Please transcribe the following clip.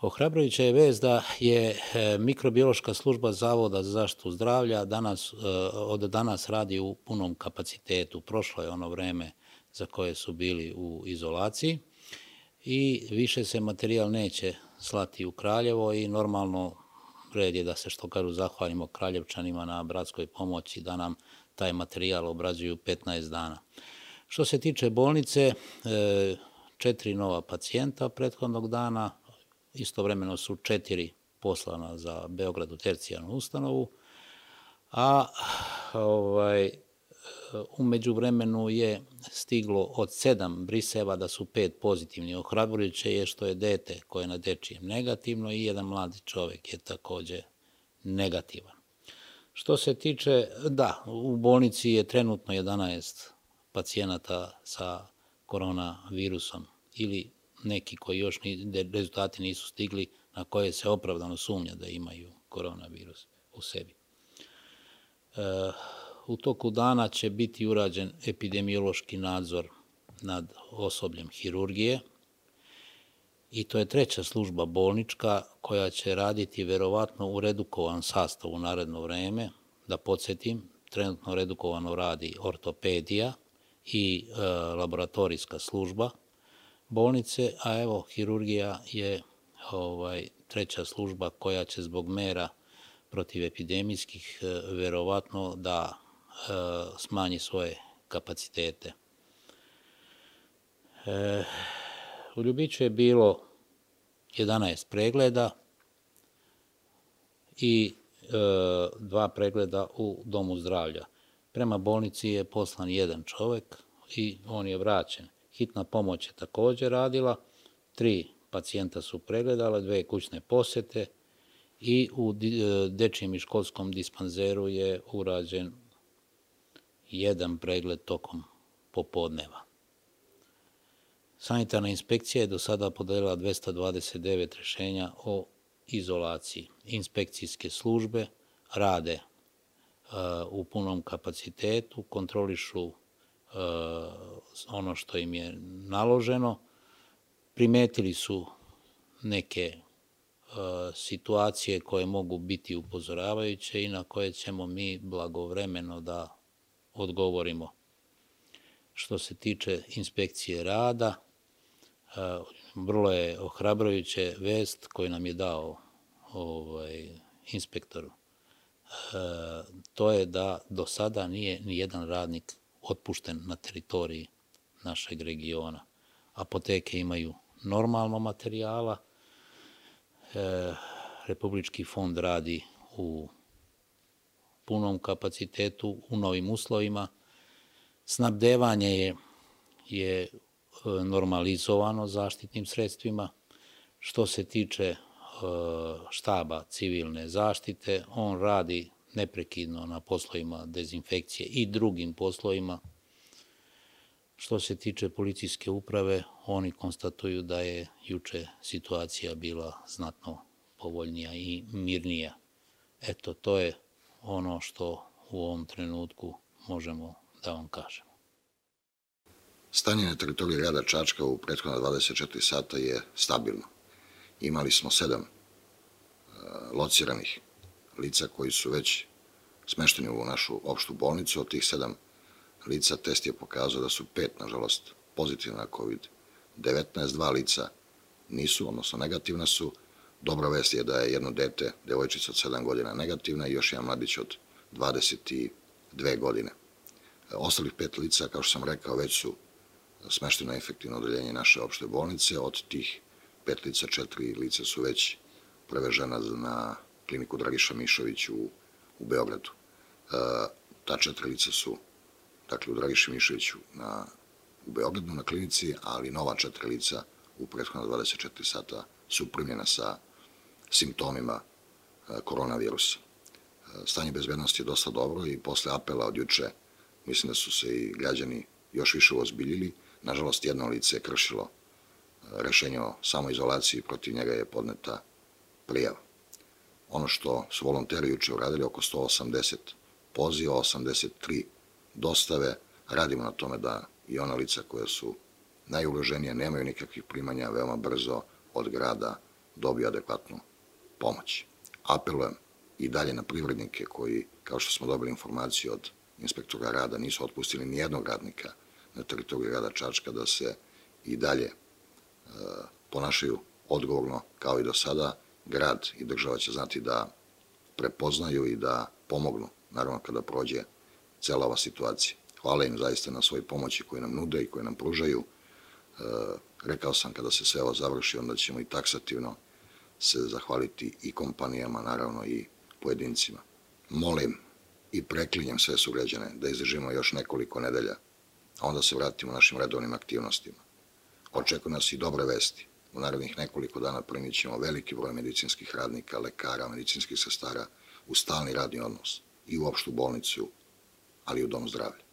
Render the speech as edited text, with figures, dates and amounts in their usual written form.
Ohrabrujuća je vest da je mikrobiološka služba Zavoda za zaštitu zdravlja od danas radi u punom kapacitetu. Prošlo je ono vreme za koje su bili u izolaciji i više se materijal neće slati u Kraljevo i normalno red je da se, što kažu, zahvalimo Kraljevčanima na bratskoj pomoći da nam taj materijal obrađuju 15 dana. Što se tiče bolnice, 4 nova pacijenta prethodnog dana, istovremeno su 4 poslana za Beograd u tercijarnu ustanovu, a u međuvremenu je stiglo od 7 briseva da su 5 pozitivni. Ohrabrujuće je što je dete koje je na dečijem negativno i jedan mladi čovjek je također negativan. Što se tiče, u bolnici je trenutno 11 pacijenata sa koronavirusom ili neki koji još rezultati nisu stigli, na koje se opravdano sumnja da imaju koronavirus u sebi. U toku dana će biti urađen epidemiološki nadzor nad osobljem hirurgije i to je 3. služba bolnička koja će raditi verovatno u redukovan sastav u naredno vreme. Da podsjetim, trenutno redukovano radi ortopedija i laboratorijska služba bolnice, a evo hirurgija je 3. služba koja će zbog mera protivepidemijskih verovatno da smanji svoje kapacitete. U Ljubiću je bilo 11 pregleda i 2 pregleda u domu zdravlja. Prema bolnici je poslan 1 čovjek i on je vraćen. Hitna pomoć je također radila, 3 pacijenta su pregledala, 2 kućne posjete i u dečijem i školskom dispanzeru je urađen 1 pregled tokom popodneva. Sanitarna inspekcija je do sada podelila 229 rješenja o izolaciji. Inspekcijske službe rade u punom kapacitetu, kontrolišu ono što im je naloženo. Primetili su neke situacije koje mogu biti upozoravajuće i na koje ćemo mi blagovremeno da odgovorimo. Što se tiče inspekcije rada, vrlo je ohrabrujuće vest koju nam je dao inspektor. To je da do sada nije ni jedan radnik otpušten na teritoriji našeg regiona. Apoteke imaju normalno materijala, Republički fond radi u punom kapacitetu, u novim uslovima. Snabdevanje je normalizovano zaštitnim sredstvima. Što se tiče štaba civilne zaštite, on radi neprekidno na poslovima dezinfekcije i drugim poslovima. Što se tiče policijske uprave, oni konstatuju da je juče situacija bila znatno povoljnija i mirnija. Eto, to je ono što u ovom trenutku možemo da vam kažemo. Stanje na teritoriji grada Čačka u prethodna 24 sata je stabilno. Imali smo 7 lociranih lica koji su već smešteni u našu opštu bolnicu. Od tih 7 lica test je pokazao da su 5, nažalost, pozitivna na COVID-19, 2 lica nisu, odnosno negativna su. Dobra vest je da je jedno dete, devojčica od 7 godina, negativna i još jedan mladić od 22 godine. Ostalih 5 lica, kao što sam rekao, već su smešteno na efektivno odeljenje naše opšte bolnice. Od tih 5 lica, 4 lica su već prevežena na kliniku Dragiša Mišović u Beogradu. Ta 4 lica su, dakle, u Dragiši Mišoviću u Beogradu na klinici, ali nova 4 lica u prethodna 24 sata su primljena sa simptomima koronavirusa. Stanje bezbednosti je dosta dobro i posle apela od juče mislim da su se i građani još više uozbiljili. Nažalost, jedno lice je kršilo rešenje o samoizolaciji, protiv njega je podneta prijava. Ono što su volonteri juče uradili, oko 180 poziva, 83 dostave, radimo na tome da i ona lica koja su najugroženija, nemaju nikakvih primanja, veoma brzo od grada dobiju adekvatnu pomoć. Apelujem i dalje na privrednike koji, kao što smo dobili informaciju od inspektora rada, nisu otpustili ni jednog radnika na teritoriji grada Čačka, da se i dalje ponašaju odgovorno kao i do sada. Grad i država će znati da prepoznaju i da pomognu, naravno kada prođe cela ova situacija. Hvala im zaista na svoj pomoći koju nam nude i koju nam pružaju. Rekao sam, kada se sve ovo završi, onda ćemo i taksativno se zahvaliti i kompanijama, naravno i pojedincima. Molim i preklinjem sve sugrađane da izdržimo još nekoliko nedelja, a onda se vratimo našim redovnim aktivnostima. Očekuju nas i dobre vesti. U narednih nekoliko dana primit ćemo veliki broj medicinskih radnika, lekara, medicinskih sestara u stalni radni odnos i u opštu bolnicu, ali i u dom zdravlja.